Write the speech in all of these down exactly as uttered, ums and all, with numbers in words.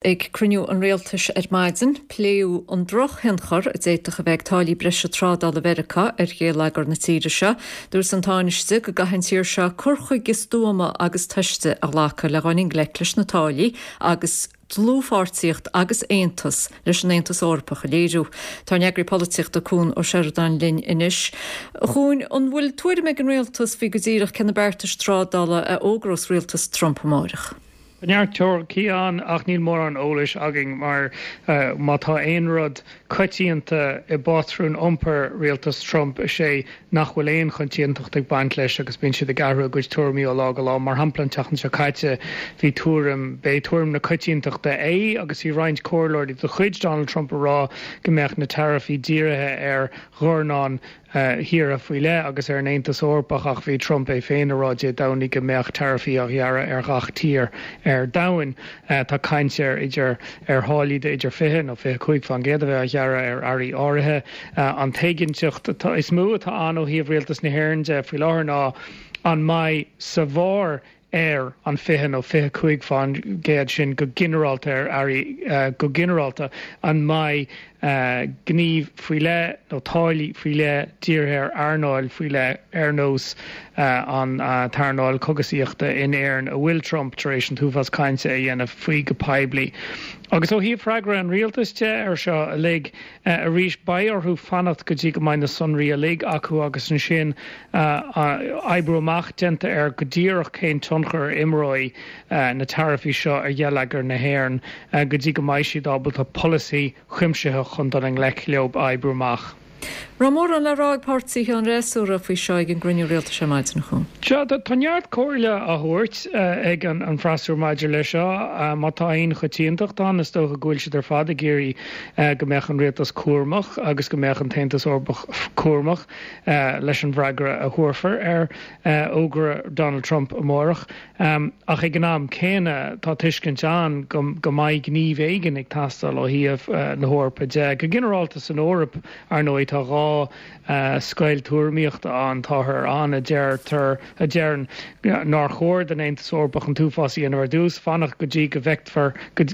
Ag cruinniú an rialtais ar maidin, pléadh an drochthionchar a d'fhéadfadh a bheith ag táillí breise trádála Mheiriceá ar gheilleagar na tíre seo. Dúirt an Tánaiste go gcaithfidh an tír seo cur chuige stuama agus tomhaiste a ghlacadh le dhul i ngleic leis na táillí agus dlúthpháirtíocht agus aontas leis an Aontas Eorpach a léiriú. Tá an eagraí polaitíochta Cuan Ó Seireadáin linn anois. A Chuain, an bhfuil tuairim ag an rialtas faoi go díreach cé na beartais trádála a fhógrós rialtas Trump amárach? Neart teoiricí ann ach níl mórán eolais againn mar uh, má tá aon rud coitianta i bpátrún iompair rialtas Trump is é nach bhfuil aon choitiantacht ag baint leis agus bíonn siad ag athrú a gcuid tuairimí ó lá go lá mar shampla an tseachtain seo caite bhí tuairim b'é tuairim na coitiantachta é agus bhí roinnt comhairleoirí de chuid Donald Trump a rá go mbeadh na taraifí dírithe ar dhornán thíortha faoi leith agus ar an Aontas Eorpach ach bhí Trump é féin ag rá Dé Domhnaigh go mbeadh taraifí á ghearradh ar gach tír ar domhan. Tá caint ar idir ar tháillí de idir fiche nó fiche cúig faoin gcéad a bheith á ghearradh ar earraí áirithe. An t-éiginnteacht is mó atá ann ó thaobh rialtas na hÉireann de faoi láthair ná an mbeidh sa bharr ar an fiche nó fiche cúig faoin gcéad sin go ginearálta ar earraí go ginearálta an mbeidh gníomh faoi leith nó táillí faoi leith dírithe ar earnáil faoi leith ar nós an t-earnáil cógaisíochta in Éirinn a bhfuil Trump tar éis an t-uafás cainte a dhéanamh faoi go poiblí. Agus ó thaobh freagra an rialtais de ar seo uilig arís beidh orthu fanacht go dtí go mbeidh na sonraí uilig acu agus ansin oibriú amach déanta ar go díreach cén tionchar a imreoidh na taraifí seo ar gheilleagar na hÉireann go dtí go mbeidh siad ábalta polasaí cuimsitheach chun dul i ngleic leo a oibriú amach. Raibh mórán le rá ag páirtithe an fhreasúra faoi seo ag an gcruinniú rialtais ar maidin, a Chuain. Sea, tá neart comhairle á thabhairt ag an an freasúra maidir leis seo. Má tá aon choitiantacht ann, is dócha go bhfuil siad ar fad ag iarraidh go mbeadh an rialtas cúramach agus go mbeadh an tAontas Eorpach cúramach leis an bhfreagra a thabharfar ar fhógra Donald Trump amárach. Ach ag an am céanna tá tuiscint ann go go mbeidh gníomh éigin ag teastáil ó thaobh na hEorpa de. Go ginearálta san Eoraip ar ndóigh tá dhá scoil tuairimíochta ann táthar ann a deirtear a deireann nár chóir don Aontas Eorpach an t-uafás a dhéanamh ar dtús, fanacht go dtí go bhfeictear go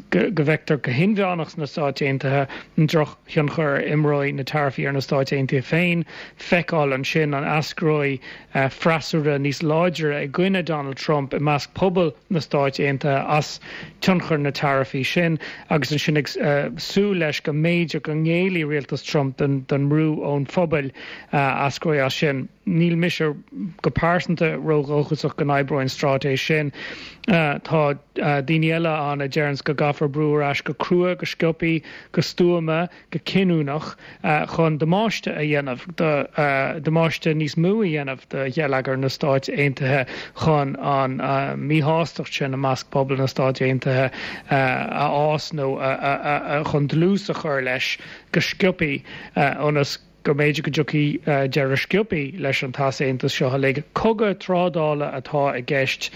bhfeictear go hinmheánach sna Stáit Aontaithe an drochthionchar a imreoidh na taraifí ar na Stáit Aontaithe féin, feiceáil ansin an eascróidh freasúra níos láidre i gcoinne Donald Trump i measc pobal na Stáit Aontaithe as tionchar na taraifí sin agus ansin ag súil leis go mb'fhéidir go ngéillfidh rialtas Trump don don mbrú ón phobal a eascróidh as sin. Níl mise go pearsanta ródhóchasach go n-oibreoidh an straitéis sin. Tá daoine eile ann a deireanns go gcaithfear brú ar ais go crua, go sciobtha, go stuama, go cinniúnach chun damáiste a dhéanamh, damáiste níos mó a dhéanamh do gheilleagar na Stáit Aontaithe chun an míshástacht sin i measc pobal na Stáit Aontaithe a fhás nó chun dlús a chur leis go sciobtha ionas go mb'fhéidir go dtiocfaidh deireadh sciobtha leis an t-easaontas seo uilig. Cogadh trádála atá i gceist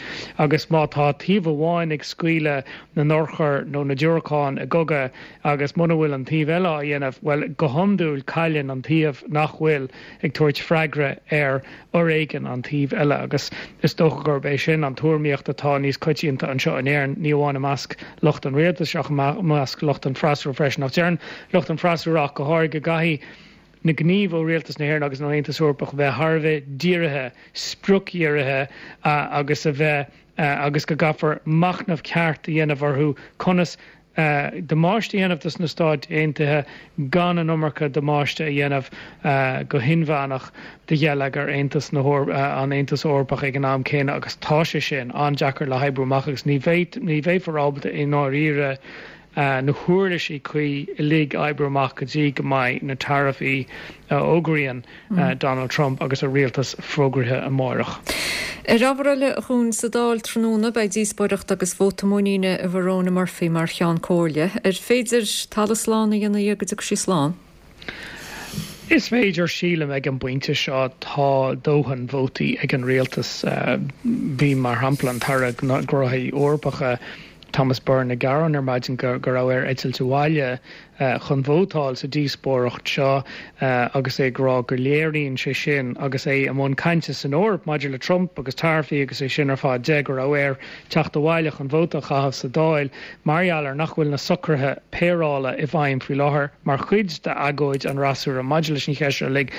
agus má tá taobh amháin ag scaoileadh na n-urchar nó na diúracán i gcogadh agus muna bhfuil an taobh eile á dhéanamh, bhuel, go hiondúil cailleann an taobh nach bhfuil ag tabhairt freagra ar fhoréigean an taoibh eile agus is dócha gurb é sin an tuairimíocht atá níos coitianta anseo in Éirinn, ní amháin i measc lucht an rialtais ach i measc lucht an freasúra freisin. Ach deireann lucht an freasúra ach go háirithe go gcaithfidh na gnímh ó Rialtas na hÉireann agus an Aontas Eorpach bheith thar a bheith dírithe, spriocdhírithe agus a bheith agus go gcaithfear machnamh ceart a dhéanamh orthu conas damáiste a dhéanamh dos na Stáit Aontaithe gan an iomarca damáiste a dhéanamh go hinmheánach do gheilleagar Aontas na an Aontas Eorpach ag an am céanna agus tá sé sin an-deacair le hoibriú amach agus ní bheifear ábalta i ndáiríre na huirlisí cuí uilig a oibriú amach go dtí go mbeidh na taraifí a fhógraíonn Donald Trump agus a rialtas fógraithe amárach. Ar ábhar eile, a Chuain, sa Dáil tráthnóna beidh díospóireacht agus vóta muiníne i Verona Murphy mar Cheann Comhairle. Ar féidir talamh slán a dhéanamh dhe go dtiocfaidh sí slán? Is féidir, sílim, ag an bpointe seo tá dóthain vótaí ag an rialtas. Bhí, mar shampla, an tAire Gnóthaí Eorpacha, Thomas Byrne ag gearán ar maidin go go raibh air eitilt abhaile chun vótáil sa díospóireacht seo agus é ag rá go léiríonn sé sin agus é i mbun cainte san Eoraip maidir le Trump agus taraifí agus é sin ar fad de go raibh air teacht abhaile chun vóta a chaitheamh sa Dáil mar gheall ar nach bhfuil na socruithe péireála i bhfeidhm faoi láthair mar chuid d'agóid an fhreasúra maidir leis an cheist seo uilig.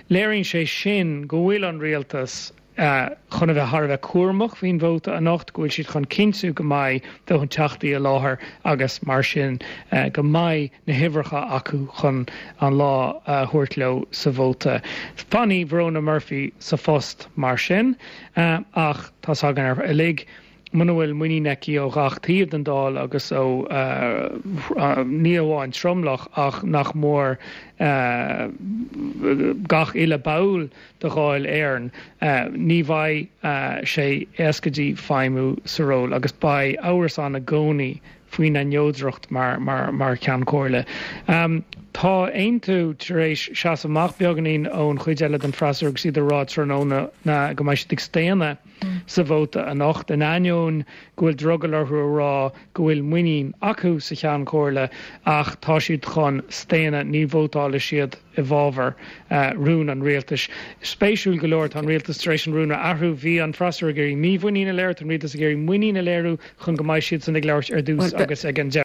Léiríonn sé sin go bhfuil an rialtas chun a bheith thar a bheith cúramach faoin vóta anocht, go bhfuil siad chun cinntiú go mbeidh dóthain teachtaí i láthair agus mar sin go mbeidh na huimhreacha acu chun an lá a thabhairt leo sa vóta. Fanfaidh Verona Murphy sa phost mar sin ach tá's againn ar uilig muna bhfuil muinín aici ó gach taobh den Dáil agus ó ní amháin tromlach ach nach mór gach uile ball de Dháil Éireann, ní bheidh sé éasca di feidhmiú sa ról agus beidh amhras ann i gcónaí faoina neodracht mar mar mar Cheann Comhairle. Tá Aontú tar éis seasamh amach beagáinín ón chuid eile den freasúra agus iad ag rá tráthnóna go mbeidh siad ag staonadh sa vóta anocht, in ainneoin go bhfuil drogall orthu a rá go bhfuil muinín acu sa Cheann Comhairle ach tá siad chun staonadh, ní vótálfaidh siad i bhfabhar rún an rialtais. Spéisiúil go leor tá an rialtas tar éis an rún a athrú, bhí an freasúra ag iarraidh mímhuinín a léiriú, tá an rialtas ag iarraidh muinín a léiriú chun go mbeidh siadsan ag labhairt ar dtús agus ag an deireadh.